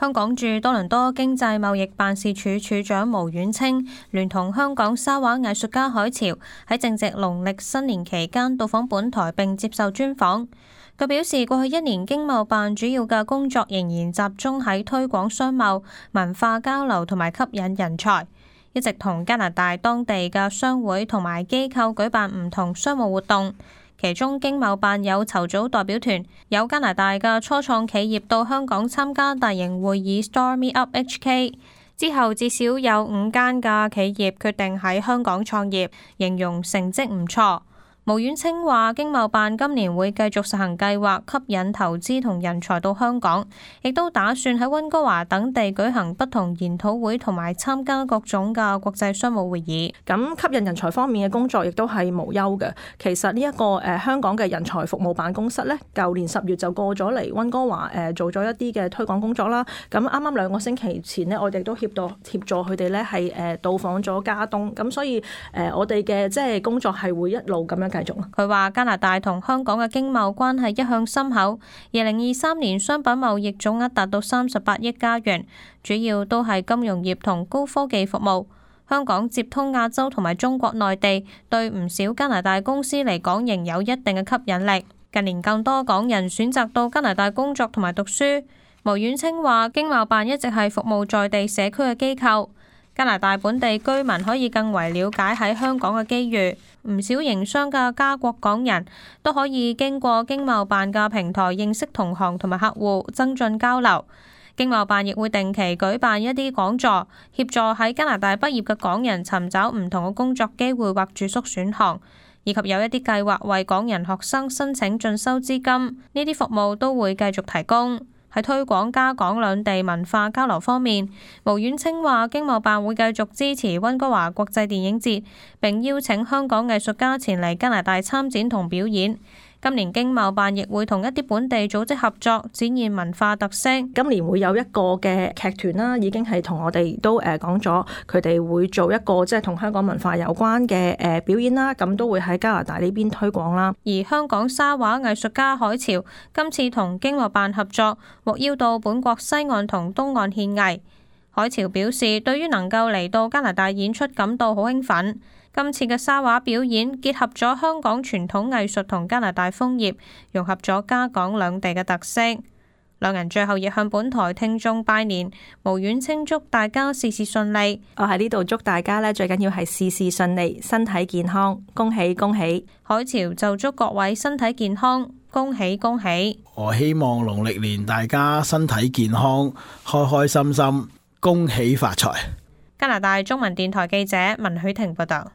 香港駐多倫多經濟貿易辦事處處長毛婉清聯同香港沙畫藝術家海潮喺正值農曆新年期間到訪本台並接受專訪。佢表示，過去一年經貿辦主要嘅工作仍然集中喺推廣商貿、文化交流同埋吸引人才，一直同加拿大當地嘅商會同埋機構舉辦唔同商務活動。其中經貿辦有籌組代表團，有加拿大嘅初創企業到香港參加大型會議 Start Me Up HK， 之後至少有5間嘅企業決定喺香港創業，形容成績唔錯。毛婉清話，經貿辦今年會繼續實行計劃，吸引投資同人才到香港，亦都打算喺溫哥華等地舉行不同研討會同埋參加各種嘅國際商務會議。咁吸引人才方面嘅工作亦都係無憂嘅。其實呢一個香港嘅人才服務辦公室呢，舊年10月就過咗嚟溫哥華做咗一啲嘅推廣工作啦。咁啱啱2個星期前呢，我哋都協助佢哋呢係到訪咗加東。咁所以我哋嘅即係工作係會一路咁樣繼續。佢話加拿大同香港嘅經貿關係一向深厚，2023年商品貿易總額達到38億加元，主要都係金融業同高科技服務。香港接通亞洲同埋中國內地，對唔少加拿大公司嚟講仍有一定嘅吸引力。近年更多港人選擇到加拿大工作同埋讀書。毛婉清話，經貿辦一直係服務在地社區嘅機構，加拿大本地居民可以更為了解喺香港嘅機遇。唔少營商嘅加國港人都可以經過經貿辦嘅平台認識同行同埋客戶，增進交流。經貿辦亦會定期舉辦一啲講座，協助喺加拿大畢業嘅港人尋找唔同嘅工作機會或住宿選項，以及有一啲計劃為港人學生申請進修資金。呢啲服務都會繼續提供。喺推廣加港兩地文化交流方面，毛婉清話經貿辦會繼續支持溫哥華國際電影節，並邀請香港藝術家前嚟加拿大參展同表演。今年經貿辦亦會同一啲本地組織合作，展現文化特色。今年會有一個嘅劇團啦，已經係同我哋都講咗，佢哋會做一個即係同香港文化有關嘅表演啦，咁都會喺加拿大呢邊推廣啦。而香港沙畫藝術家海潮今次同經貿辦合作，獲邀到本國西岸同東岸獻藝。海潮表示，對於能夠嚟到加拿大演出感到好興奮。今次嘅沙畫表演結合咗香港傳統藝術同加拿大楓葉，融合咗加港兩地嘅特色。兩人最後亦向本台聽眾拜年，毛婉清祝大家事事順利。我喺呢度祝大家呢，最緊要係事事順利，身體健康，恭喜恭喜。海潮就祝各位身體健康，恭喜恭喜。我希望農曆年大家身體健康，開開心心，恭喜發財。加拿大中文電台記者文許婷報道。